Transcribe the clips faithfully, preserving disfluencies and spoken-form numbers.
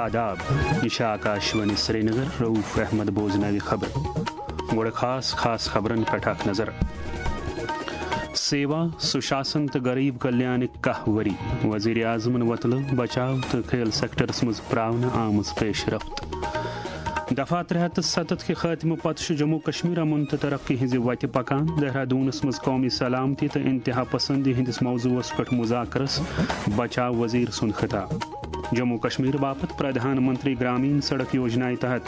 آداب، یہ چھِ آکاشوانی سرینگر۔ رؤف احمد بوزناوِ خبر۔ گۄڈٕ خاص خاص خبرن پٮ۪ٹھ اکھ نظر۔ سیوا، سُشاسن تہٕ غریب کلیانٕکۍ کاہ ؤری، وزیر اعظمن وۄتلٲو بچاو تہٕ کھیل سیکٹرس منٛز پراونہٕ آمٕژ پیش رفت۔ دفعہ ترٛےٚ ہتھ تہٕ ستتھ کہِ خاتمہٕ پتہٕ چھُ جموں کشمیر امن تہٕ ترقی ہٕنٛزِ وتہِ پکان۔ دہرادونس منٛز قومی سلامتی تہٕ انتہا پسندی ہٕنٛدِس موضوعس پٮ۪ٹھ مذاکرس بچاو وزیر سُنٛد خطاب۔ جموں کشمیر باپتھ پردھان منتری گرامین سڑک یوجنایہِ تحت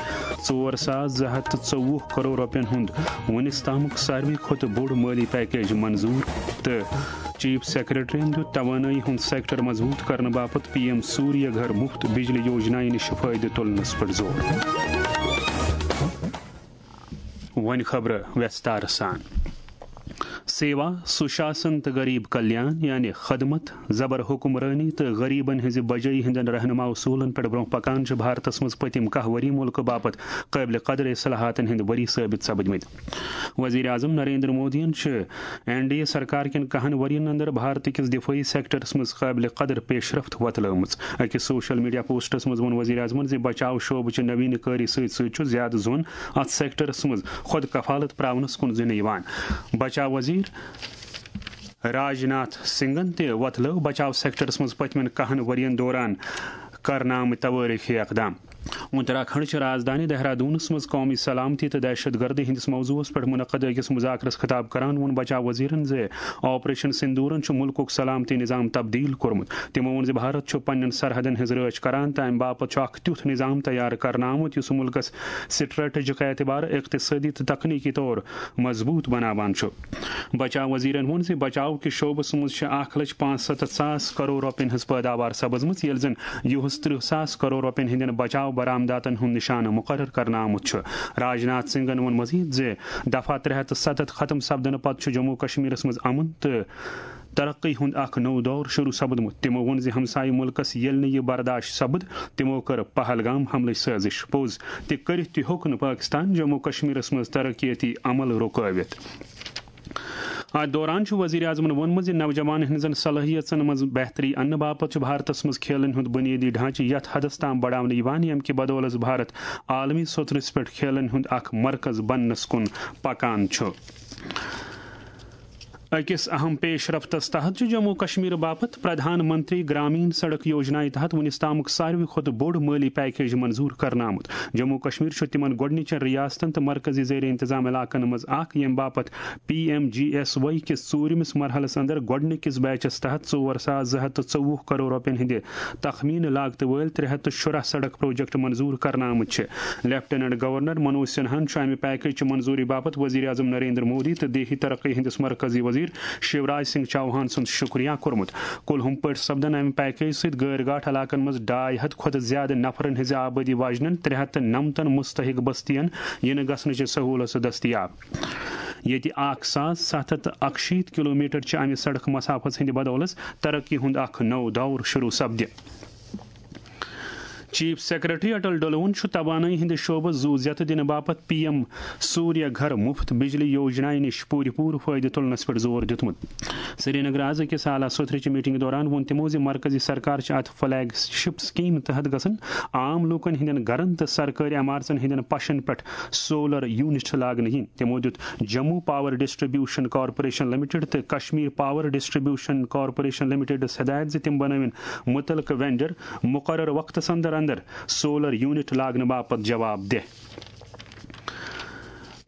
ژور ساس زٕ ہتھ تہٕ ژوٚوُہ کرور رۄپین ہُنٛد وُنِس تامُک ساروی کھۄتہٕ بوٚڑ مٲلی پیکیج منظور تہٕ چیف سیکرٹریَن دیُت توانٲیی ہُنٛد سیکٹر مضبوط کرنہٕ باپتھ پی ایم سوریہ گھر مفت بجلی یوجنایہِ نِش فٲیدٕ تُلنَس پٮ۪ٹھ زور۔ وۄنۍ خبرٕ وٮ۪ستارٕ سان۔ سیوا، سُشاسن تہٕ غریب کلیان، یعنی خدمت، زبر حکمرٲنی تہٕ غریبن ہٕنٛزِ بجٲیی ہٕنٛدٮ۪ن رہنما اصوٗلن پٮ۪ٹھ برونٛہہ پکان چھِ بھارتس منٛز پٔتِم کاہ ؤری مُلکہٕ باپتھ قٲبلِ قدر اصلاحاتن ہٕنٛدۍ ؤری ثٲبت سپدمٕتۍ۔ وزیر اعظم نریندر مودیَن چھِ این ڈی اے سرکار کٮ۪ن کاہن ؤرین اندر بھارت کِس دفٲعی سیکٹرس منٛز قٲبلِ قدر پیش رفت وۄتلٲومٕژ۔ أکِس سوشل میڈیا پوسٹس منٛز ووٚن وزیر اعظمن زِ بچاو شعبہٕ چہِ نوینہٕ کٲری سۭتۍ سۭتۍ چھُ زیادٕ زوٚن اتھ سیکٹرس منٛز خۄد کفالت پراونس کُن زِنہٕ یِوان۔ بچاو وزیر راج ناتھ سنگھن تہِ وۄتلٲو بچاو سیکٹرس منٛز پٔتمٮ۪ن کاہن ؤرین دوران کرنہٕ آمٕتۍ توٲریخی اقدام۔ اتراکھنڈ چہِ رازدانی دہرادونس منٛز قومی سلامتی تہٕ دہشت گردی ہٕنٛدِس موضوعس پٮ۪ٹھ منعقد أکِس مذاکرس خطاب کران ووٚن بچاو وزیرن زِ آپریشن سندورن چھُ مُلکُک سلامتی نظام تبدیل کوٚرمُت۔ تِمو ووٚن زِ بھارت چھُ پننٮ۪ن سرحدن ہٕنٛز رٲچھ کران تہٕ امہِ باپتھ چھُ اکھ تیُتھ نظام تیار کرنہٕ آمُت یُس مُلکس سٹریٹجک اعتبار، اقتصٲدی تہٕ تکنیکی طور مضبوط بناوان چھُ۔ بچاو وزیرن ووٚن زِ بچاو کِس شعبس منٛز چھِ اکھ لچھ پانٛژھ ستتھ ساس کرور رۄپین ہٕنٛز پٲداوار سپٕزمٕژ، ییٚلہِ زن یُہُس ترٕٛہ ساس کرور رۄپین ہٕنٛدٮ۪ن بچاو برآمداتن ہُنٛد نشانہٕ مُقرر کرنہٕ آمُت چھُ۔ راج ناتھ سنگھن ووٚن مزید زِ دفعہ ترٛےٚ ہتھ تہٕ ستتھ ختم سپدنہٕ پتہٕ چھُ جموں کشمیرس منٛز امن تہٕ ترقی ہُنٛد اکھ نوٚو دور شروع سپدمُت۔ تِمو ووٚن زِ ہمسایہِ مُلکس ییٚلہِ نہٕ یہِ برداشت سپُد، تِمو کٔر پہلگام حملٕچ سٲزش پوٚز تہِ کٔرِتھ تہِ ہیوٚک نہٕ پٲکستان جموں کشمیرس منٛز ترقیتی عمل رُکٲوِتھ۔ اتھ دوران چھُ وزیر اعظمن ووٚنمُت زِ نوجوانن ہٕنٛزن صلٲحیژن منٛز بہتری اننہٕ باپتھ چھُ بھارتس منٛز کھیلن ہُنٛد بُنیٲدی ڈھانچہٕ یتھ حدس تام بڑاونہٕ یِوان، ییٚمہِ کہِ بدولس بھارت عالمی سطحس پٮ۪ٹھ کھیلن ہُنٛد اکھ مرکز بننس کُن پکان چھُ۔ أکِس اہم پیش رفتس تحت چھُ جموں کشمیر باپتھ پردھان منتری گرامین سڑک یوجنایہِ تحت وُنِس تامُک ساروی کھۄتہٕ بوٚڑ مٲلی پیکیج منظور کرنہٕ آمُت۔ جموں کشمیر چھُ تِمن گۄڈٕنِچن ریاستن تہٕ مرکزی زیر انتظام علاقن منٛز اکھ، ییٚمہِ باپتھ P M G S Y کِس ژوٗرمِس مرحلس اندر گۄڈٕنِکِس بیچس تحت ژور ساس زٕ ہتھ تہٕ ژوٚوُہ کرور رۄپین ہٕنٛدِ تخمینہٕ لاگتہٕ وٲلۍ ترٛےٚ ہتھ تہٕ شُراہ سڑک پروجیکٹ منظور کرنہٕ آمٕتۍ چھِ۔ لیفٹیننٹ گورنر منوج سنہاہن چھُ امہِ پیکیج چہِ منظوری باپتھ وزیر اعظم نریندر مودی تہٕ دیہی ترقی ہٕنٛدِس مرکزی وزیر شیوراج سنگھ چوہان سُنٛد شُکریہ کوٚرمُت۔ کُلہُم پٲٹھۍ سپدن امہِ پیکیج سۭتۍ غٲر گاٹھ علاقن منٛز ڈاے ہتھ کھۄتہٕ زیادٕ نفرن ہٕنٛزِ آبٲدی واجنٮ۪ن ترٛےٚ ہتھ تہٕ نمتن مستحق بستین یِنہٕ گژھنٕچہِ سہوٗلژٕ دٔستیاب، ییٚتہِ اکھ ساس ستھ ہتھ تہٕ اکشیٖتھ کلومیٹر چہِ امہِ سڑک مسافس ہٕنٛدِ بدولس ترقی ہُنٛد اکھ نوٚو دور شروع سپدِ۔ چیف سیکرٹری اٹل ڈلوُن چھُ توانٲیی ہٕنٛدِ شعبس زُو زیتہٕ دِنہٕ باپتھ پی ایم سوریہ گھر مفت بجلی یوجنایہِ نِش پوٗرٕ پوٗرٕ فٲیدٕ تُلنس پٮ۪ٹھ زور دیُتمُت۔ سرینگرٕ آز أکِس اعلیٰ سوٚتھرٕچہِ میٹنگہِ دوران ووٚن تِمو زِ مرکزی سرکار چھِ اتھ فلیگ شپ سکیمہِ تحت گژھن عام لوٗکن ہٕنٛدٮ۪ن گرن تہٕ سرکٲرۍ عمارژن ہٕنٛدٮ۪ن پشن پٮ۪ٹھ سولر یونٹ لاگنہٕ یِنۍ۔ تِمو دیُت Jammu power distribution corporation limited تہٕ کشمیر پاور ڈسٹریبیوشن کارپوریشن لمیٹڈس ہدایت زِ تِم بنٲوِن مُتعلقہٕ وینڈر مقرر وقتس اندر اندر سولر یونٹ لاگنہٕ باپتھ جواب دہ۔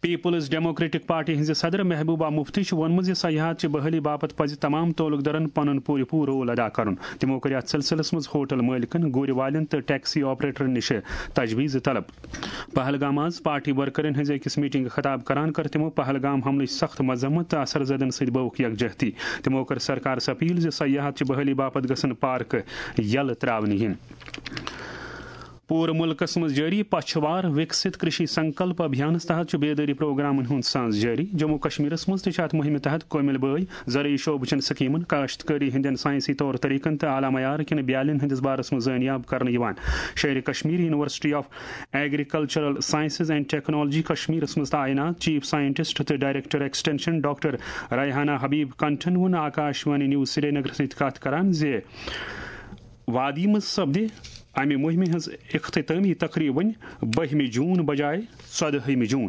پیپلز ڈیموکریٹک پارٹی ہٕنٛزِ صدر محبوبہ مفتی چھِ ووٚنمُت زِ سیاحت چہِ بحالی باپتھ پزِ تمام تعلق دارن پنُن پوٗرٕ پوٗرٕ رول ادا کرُن۔ تِمو کٔر یتھ سلسلس منٛز ہوٹل مٲلکن، گُرۍ والٮ۪ن تہٕ ٹیکسی آپریٹرن نِش تجویز طلب۔ پہلگام آز پارٹی ورکرن ہٕنٛزِ أکِس میٹنگہِ خطاب کران کٔر تِمو پہلگام حملٕچ سخت مذمت تہٕ اثر زدن سۭتۍ بٲوُکھ یکجہتی۔ تِمو کٔر سرکارس اپیل زِ سیاحت چہِ بحالی باپتھ گژھن پارکہٕ یلہٕ تراونہٕ یِنۍ۔ پوٗرٕ مُلکَس منٛز جٲری پچھوار وِکسِت کرشی سنکلپ ابھیانَس تحت چھُ بیدٲری پروگرامَن ہُنٛد سانز جٲری۔ جموں کشمیرَس منٛز تہِ چھِ اَتھ مُہِمہِ تحت کٲمِل بٲے، زرعی شعبہٕ چٮ۪ن سکیٖمَن، کاشتکٲری ہٕنٛدٮ۪ن ساینسی طور طریقن تہٕ اعلیٰ معیار کٮ۪ن بیالٮ۪ن ہٕنٛدِس بارَس منٛز زٲنیاب کرنہٕ یِوان۔ Sheri Kashmir university of agricultural sciences and technology کشمیرَس منٛز تعینات چیف سائنٹسٹ تہٕ director extension doctor Rehana Habib کنٹھن ووٚن آکاشوانی نیوز سرینگرَس سۭتۍ کَتھ کران زِ وادی منٛز سپدِ امہِ مُہِمہِ ہٕنٛز اختتٲمی تقریباً بٔہمہِ جون بجایہِ ژۄدہمہِ جون۔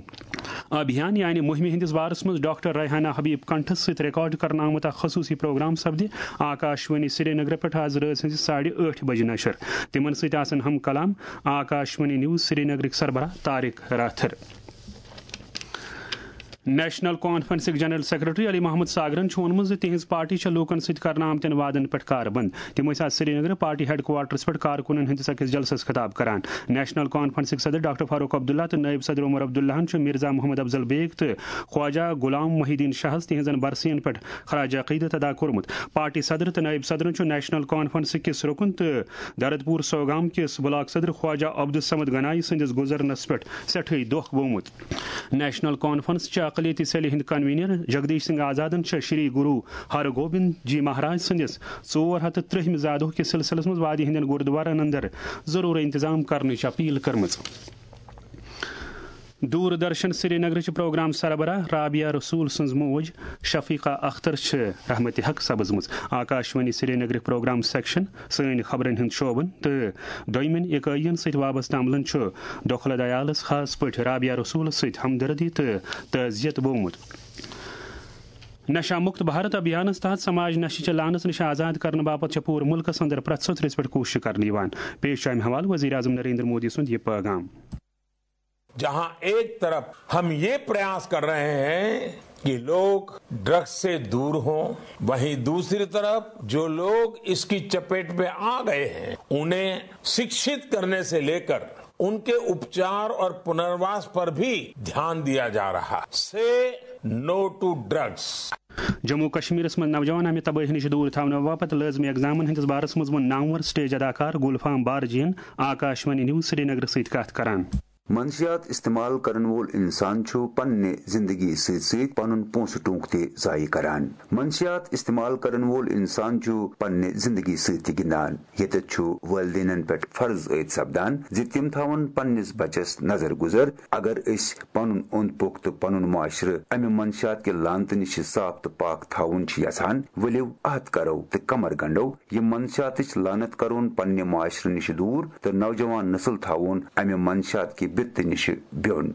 ابھیان یعنی مُہِمہِ ہٕنٛدِس بارس منٛز ڈاکٹر ریحانہ حبیب کنٹھس سۭتۍ ریکارڈ کرنہٕ آمُت اکھ خصوٗصی پروگرام سپدِ آکاشوانی سرینگر پٮ۪ٹھ آز رٲژ ہٕنٛزِ ساڑِ ٲٹھِ بجہِ نشر۔ تِمن سۭتۍ آسن ہم کلام آکاشوانی نیوز سرینگرٕکۍ سربراہ طارق راتھر۔ نیشنل کانفرنسٕکۍ جنرل سیکرٹری علی محمد ساگرن چھُ ووٚنمُت زِ تِہنٛز پارٹی چھےٚ لوٗکن سۭتۍ کرنہٕ آمتٮ۪ن وعدن پٮ۪ٹھ کاربند۔ تِم ٲسۍ آز سرینگرٕ پارٹی ہیڈ کوارٹرس پٮ۪ٹھ کارکُنن ہٕنٛدِس أکِس جلسس خطاب کران۔ نیشنل کانفرنسٕکۍ صدر ڈاکٹر فاروق عبداللہ تہٕ نٲیِب صدر عمر عبداللہن چھُ مرزا محمد افضل بیگ تہٕ خواجہ غلام محی الدین شاہس تِہنٛزن برسین پٮ۪ٹھ خراج عقیدت ادا کوٚرمُت۔ پارٹی صدر تہٕ نٲیِب صدرن چھُ نیشنل کانفرنس کِس رُکُن تہٕ دردپوٗر سوگام کِس بلاک صدر خواجہ عبدالصمد گنایی سٕنٛدِس گُزرنس پٮ۪ٹھ سٮ۪ٹھٕے دۄکھ گوٚومُت۔ نیشنل کانفرنس چہِ اقلیتی سیلہِ ہٕنٛدۍ کنوینر جگدیش سنگھ آزادن چھےٚ شری گرو ہر گوبند جی مہاراج سٕنٛدِس ژور ہتھ تہٕ ترٛہمہِ زادہُک کِس سلسلس منٛز وادی ہٕنٛدٮ۪ن گُردوارن اندر ضروٗری انتظام کرنٕچ اپیل کٔرمٕژ۔ دوٗر درشن سرینگرٕچ پروگرام سربراہ رابعہ رسول سٕنٛز موج شفیقہ اختر چھِ رحمتِ حق سپٕزمٕژ۔ آکاشوانی سرینگرٕکۍ پروگرام سیکشن، سٲنۍ خبرن ہٕنٛدۍ شعبن تہٕ دوٚیمٮ۪ن اِکٲیین سۭتۍ وابستہٕ عملن چھُ دۄکھلہٕ دیالس، خاص پٲٹھۍ رابعہ رسولس سۭتۍ ہمدردی تہٕ تعزیت بوومُت۔ نشہ مکت بھارت ابھیانس تحت سماج نشہ چہ لعنت نش آزاد کرنہٕ باپتھ چھےٚ پوٗرٕ ملکس اندر پرٛٮ۪تھ سٕتھرس پٮ۪ٹھ کوٗشش کرنہٕ یِوان۔ پیش چھُ امہِ حوالہٕ وزیر اعظم نریندر مودی سُنٛد یہِ پیغام۔ جہاں ایک طرف ہم یہ پریاس کر رہے ہیں کہ لوگ ڈرگز سے دور ہوں، وہیں دوسری طرف جو لوگ اس کی چپیٹ میں آ گئے ہیں، انہیں شکشت کرنے سے لے کر ان کے اپچار اور پنرواس پر بھی دھیان دیا جا رہا۔ سے نو ٹو ڈرگز۔ جموں و کشمیرس منٛز نوجوان امہِ تبٲہی نِش دوٗر تھاونہٕ باپتھ لٲزمی اقدامن ہٕنٛدِس بارس منٛز ووٚن نامور سٹیج اداکار گلفام بارجین آکاشوانی نیوز سرینگرٕ سۭتۍ کتھ کران۔ منشیات استعمال کرن وول انسان چھُ پننہِ زندگی سۭتۍ سۭتۍ پنُن پونٛسہٕ ٹونٛک تہِ ضایع کران۔ منشیات استعمال کرن وول انسان چھُ پننہِ زندگی سۭتۍ تہِ گِنٛدان۔ ییٚتٮ۪تھ چھُ والدینن پٮ۪ٹھ فرض عٲید سپدان زِ تِم تھاون پننِس بچس نظر گُزر۔ اگر أسۍ پنُن اوٚنٛد پوٚک تہٕ پنُن معاشرٕ امہِ منشیات کہِ لعنتہٕ نِش صاف تہٕ پاک تھاوُن چھِ یژھان، ؤلِو عہد کرو تہٕ کمر گنڈو یہِ منشیاتٕچ لعنت کرون پننہِ معاشرٕ نِش دوٗر تہٕ نوجوان نسل تھاوون امہِ منشیات کہِ بِتہٕ نِش بیوٚن۔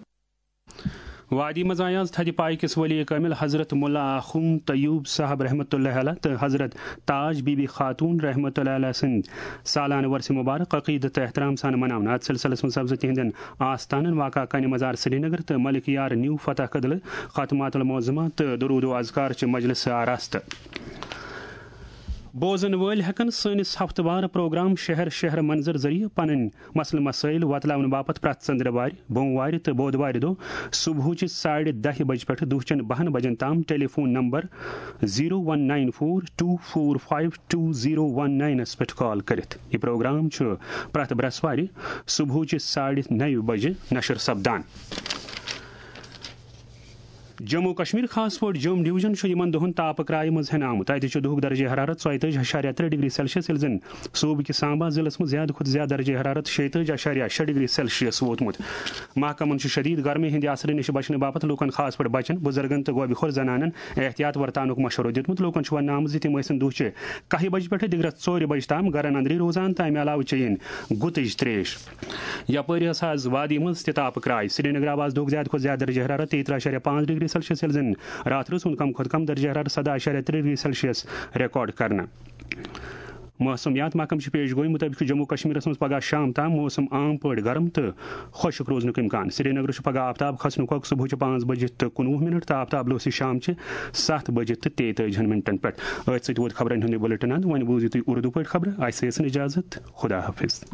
وادی منٛز آیہِ آز تھدِ پایہِ کِس ولی کٲمِل حضرت ملا آخوند طیوب صاحب رحمۃ اللہ علیہ تہٕ حضرت تاج بی بی خاتون رحمۃ اللہ علیہ سٕنٛدۍ سالانہٕ ورثہِ مبارک عقیدت تہٕ احترام سان مناونہٕ۔ اتھ سلسلس منٛز سپزٕ تِہنٛدٮ۪ن آستانن واقع کنہِ مزار سرینگر تہٕ ملک یار نیو فتح کدلہٕ ختمات المعظمہ تہٕ درود و اذکار چہِ مجلس آراستہٕ۔ بوزن وٲلۍ ہٮ۪کن سٲنِس ہفتہٕ وار پروگرام شہر شہر منظر ذٔریعہٕ پنٕنۍ مسلہٕ مسٲیل وۄتلاونہٕ باپتھ پرٛٮ۪تھ ژٔنٛدروارِ، بوموارِ تہٕ بودوارِ دۄہ صبحٕچہِ ساڑِ دَہہِ بجہِ پٮ۪ٹھ دُہچٮ۪ن بَہَن بجن تام telephone number zero one nine four two four five two zero one ناینس پٮ۪ٹھ کال کٔرِتھ۔ یہِ پروگرام چھُ پرٛٮ۪تھ برٛٮ۪سوارِ صبحٕچہِ ساڑِ نَیہِ بجہِ نشر سپدان۔ جموں و کشمیر، خاص پٲٹھۍ جوم ڈویژن، چھُ یِمن دۄہن تاپہٕ کرایہِ منٛز ہٮ۪نہٕ آمُت۔ تَتہِ چھُ دُہُک درجہ حرارت ژۄیہِ تٲجی اَشاریہ ترٛےٚ ڈگری سیلسیس، ییٚلہِ زن صوبہٕ کِس سامبا ضلعس منٛز زیادٕ کھۄتہٕ زیادٕ درجہ حرارت شیٚیہِ تٲجی اَشاریہ شےٚ ڈگری سیلسیس ووتمُت۔ محکمن چھُ شدید گرمی ہٕنٛدِ اثرٕ نِش بچنہٕ باپتھ لوٗکن، خاص پٲٹھۍ بچن، بُزرگن تہٕ گوبہِ خور زنانن احتیاط ورتاونُک مشورٕ دیُتمُت۔ لوٗکن چھُ وننہٕ آمُت زِ تِم ٲسِن دُہچہِ کاہہِ بجہِ پٮ۪ٹھٕ دِگرس ژورِ بجہِ تام گرن اندرٕے روزان تہٕ امہِ علاوٕ چیٚیِن گُتٕج تریش۔ یپٲرۍ ٲس آز وادی منٛز تہِ تاپہٕ کراے۔ سرینگرٕ آو آز دۄہُک زیادٕ کھۄتہٕ زیادٕ درجہ حرارت تیٚیہِ ترٕٛہ اَشاریہ پانٛژھ ڈگری سیلسیس، ییٚلہِ زن راتھ رٲژ ہُنٛد کم کھۄتہٕ کم درجہ حرارت سداہ اَشاریہ ترٛےٚ ڈگری سیلسیس ریکارڈ کرنہٕ۔ موسمیات محکمہٕ چہِ پیش گویی مُطٲبِق چھُ جموں و کشمیرس منٛز پگہہ شام تام موسم عام پٲٹھۍ گرم تہٕ خۄشک روزنُک امکان۔ سرینگرٕ چھُ پگہہ آفتاب کھسنُک وقت صبحٕچہِ پانٛژھ بجہِ تہٕ کُنوُہ منٹ تہٕ آفتاب لوسہِ شامچہِ ستھ بجہِ تہٕ تیٚیہِ تٲجِہن منٹن پٮ۪ٹھ۔ أتھۍ سۭتۍ ووت خبرن ہُنٛد یہِ بُلٹن اند۔ وۄنۍ بوٗزِو تُہۍ اردو پٲٹھۍ خبرٕ۔ اسہِ ٲسِن اجازت۔ خدا حافظ۔